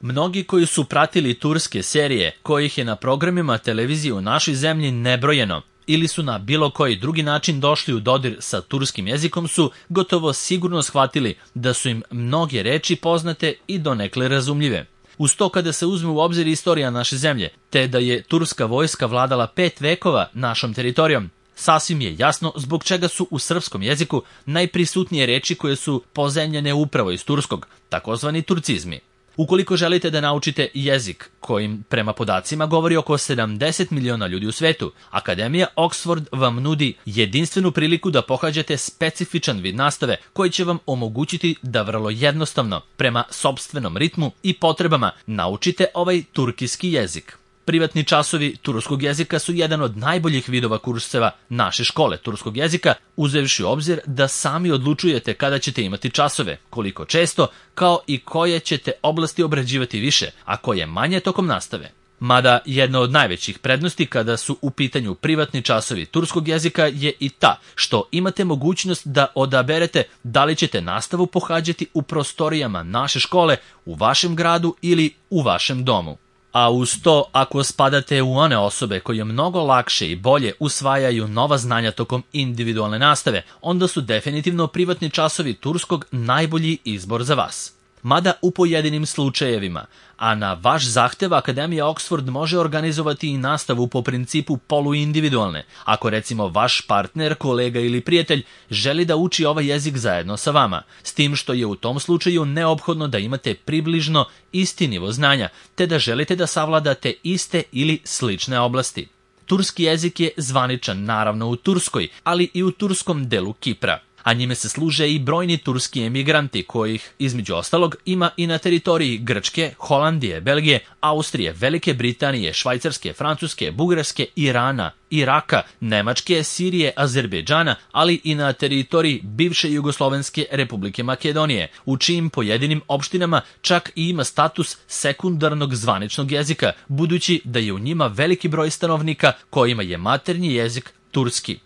Mnogi koji su pratili turske serije, kojih je na programima televizije u našoj zemlji nebrojeno, ili su na bilo koji drugi način došli u dodir sa turskim jezikom su gotovo sigurno shvatili da su im mnoge reči poznate i donekle razumljive. Uz to kada se uzme u obzir istorija naše zemlje, te da je turska vojska vladala 5 vekova našom teritorijom, sasvim je jasno zbog čega su u srpskom jeziku najprisutnije reči koje su pozemljene upravo iz turskog, takozvani turcizmi. Ukoliko želite da naučite jezik kojim prema podacima govori oko 70 miliona ljudi u svetu, Akademija Oxford vam nudi jedinstvenu priliku da pohađate specifičan vid nastave koji će vam omogućiti da vrlo jednostavno, prema sopstvenom ritmu i potrebama, naučite ovaj turkiski jezik. Privatni časovi turskog jezika su jedan od najboljih vidova kurseva naše škole turskog jezika, uzevši u obzir da sami odlučujete kada ćete imati časove, koliko često, kao i koje ćete oblasti obrađivati više, a koje manje tokom nastave. Mada jedna od najvećih prednosti kada su u pitanju privatni časovi turskog jezika je i ta što imate mogućnost da odaberete da li ćete nastavu pohađati u prostorijama naše škole, u vašem gradu ili u vašem domu. A uz to, ako spadate u one osobe koje mnogo lakše i bolje usvajaju nova znanja tokom individualne nastave, onda su definitivno privatni časovi turskog najbolji izbor za vas. Mada u pojedinim slučajevima, a na vaš zahtev Akademija Oxford može organizovati i nastavu po principu poluindividualne, ako recimo vaš partner, kolega ili prijatelj želi da uči ovaj jezik zajedno sa vama, s tim što je u tom slučaju neophodno da imate približno isti nivo znanja, te da želite da savladate iste ili slične oblasti. Turski jezik je zvaničan naravno u Turskoj, ali i u turskom delu Kipra, a njime se služe i brojni turski emigranti kojih, između ostalog, ima i na teritoriji Grčke, Holandije, Belgije, Austrije, Velike Britanije, Švajcarske, Francuske, Bugarske, Irana, Iraka, Nemačke, Sirije, Azerbejdžana, ali i na teritoriji bivše Jugoslovenske Republike Makedonije, u čijim pojedinim opštinama čak i ima status sekundarnog zvaničnog jezika, budući da je u njima veliki broj stanovnika kojima je maternji jezik turski.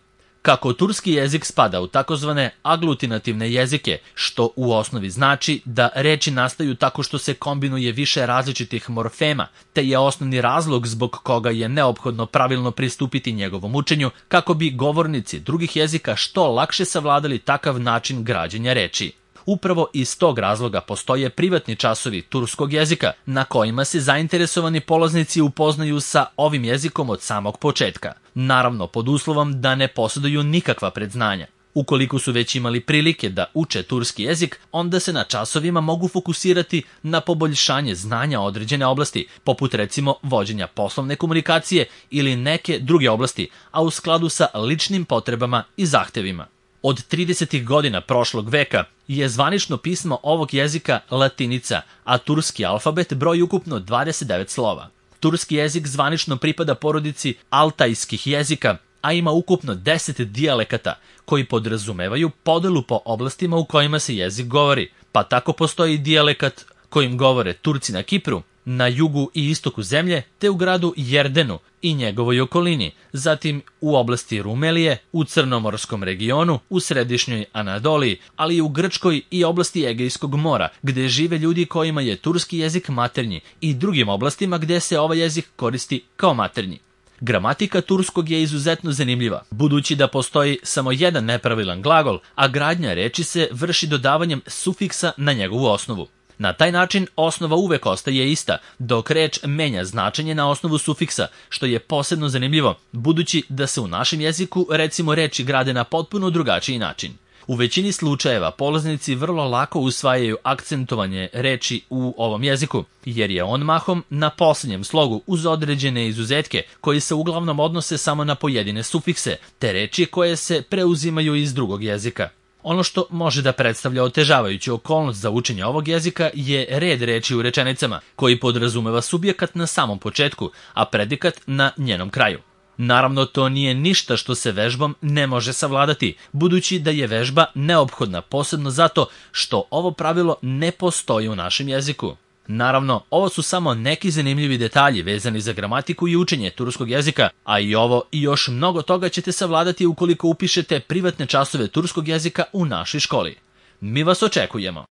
Kako turski jezik spada u takozvane aglutinativne jezike, što u osnovi znači da reči nastaju tako što se kombinuje više različitih morfema, te je osnovni razlog zbog koga je neophodno pravilno pristupiti njegovom učenju, kako bi govornici drugih jezika što lakše savladali takav način građenja reči. Upravo iz tog razloga postoje privatni časovi turskog jezika, na kojima se zainteresovani polaznici upoznaju sa ovim jezikom od samog početka. Naravno, pod uslovom da ne posjeduju nikakva predznanja. Ukoliko su već imali prilike da uče turski jezik, onda se na časovima mogu fokusirati na poboljšanje znanja određene oblasti, poput recimo vođenja poslovne komunikacije ili neke druge oblasti, a u skladu sa ličnim potrebama i zahtevima. Od 30. godina prošlog veka je zvanično pismo ovog jezika latinica, a turski alfabet broji ukupno 29 slova. Turski jezik zvanično pripada porodici altajskih jezika, a ima ukupno 10 dijalekata koji podrazumevaju podelu po oblastima u kojima se jezik govori, pa tako postoji dijalekat kojim govore Turci na Kipru, na jugu i istoku zemlje, te u gradu Jerdenu i njegovoj okolini, zatim u oblasti Rumelije, u Crnomorskom regionu, u središnjoj Anadoliji, ali i u Grčkoj i oblasti Egejskog mora, gde žive ljudi kojima je turski jezik maternji, i drugim oblastima gde se ovaj jezik koristi kao maternji. Gramatika turskog je izuzetno zanimljiva, budući da postoji samo jedan nepravilan glagol, a gradnja reči se vrši dodavanjem sufiksa na njegovu osnovu. Na taj način osnova uvek ostaje ista, dok reč menja značenje na osnovu sufiksa, što je posebno zanimljivo, budući da se u našem jeziku recimo reči grade na potpuno drugačiji način. U većini slučajeva polaznici vrlo lako usvajaju akcentovanje reči u ovom jeziku, jer je on mahom na posljednjem slogu uz određene izuzetke koji se uglavnom odnose samo na pojedine sufikse, te reči koje se preuzimaju iz drugog jezika. Ono što može da predstavlja otežavajuću okolnost za učenje ovog jezika je red reči u rečenicama, koji podrazumeva subjekat na samom početku, a predikat na njenom kraju. Naravno, to nije ništa što se vežbom ne može savladati, budući da je vežba neophodna posebno zato što ovo pravilo ne postoji u našem jeziku. Naravno, ovo su samo neki zanimljivi detalji vezani za gramatiku i učenje turskog jezika, a i ovo i još mnogo toga ćete savladati ukoliko upišete privatne časove turskog jezika u našoj školi. Mi vas očekujemo!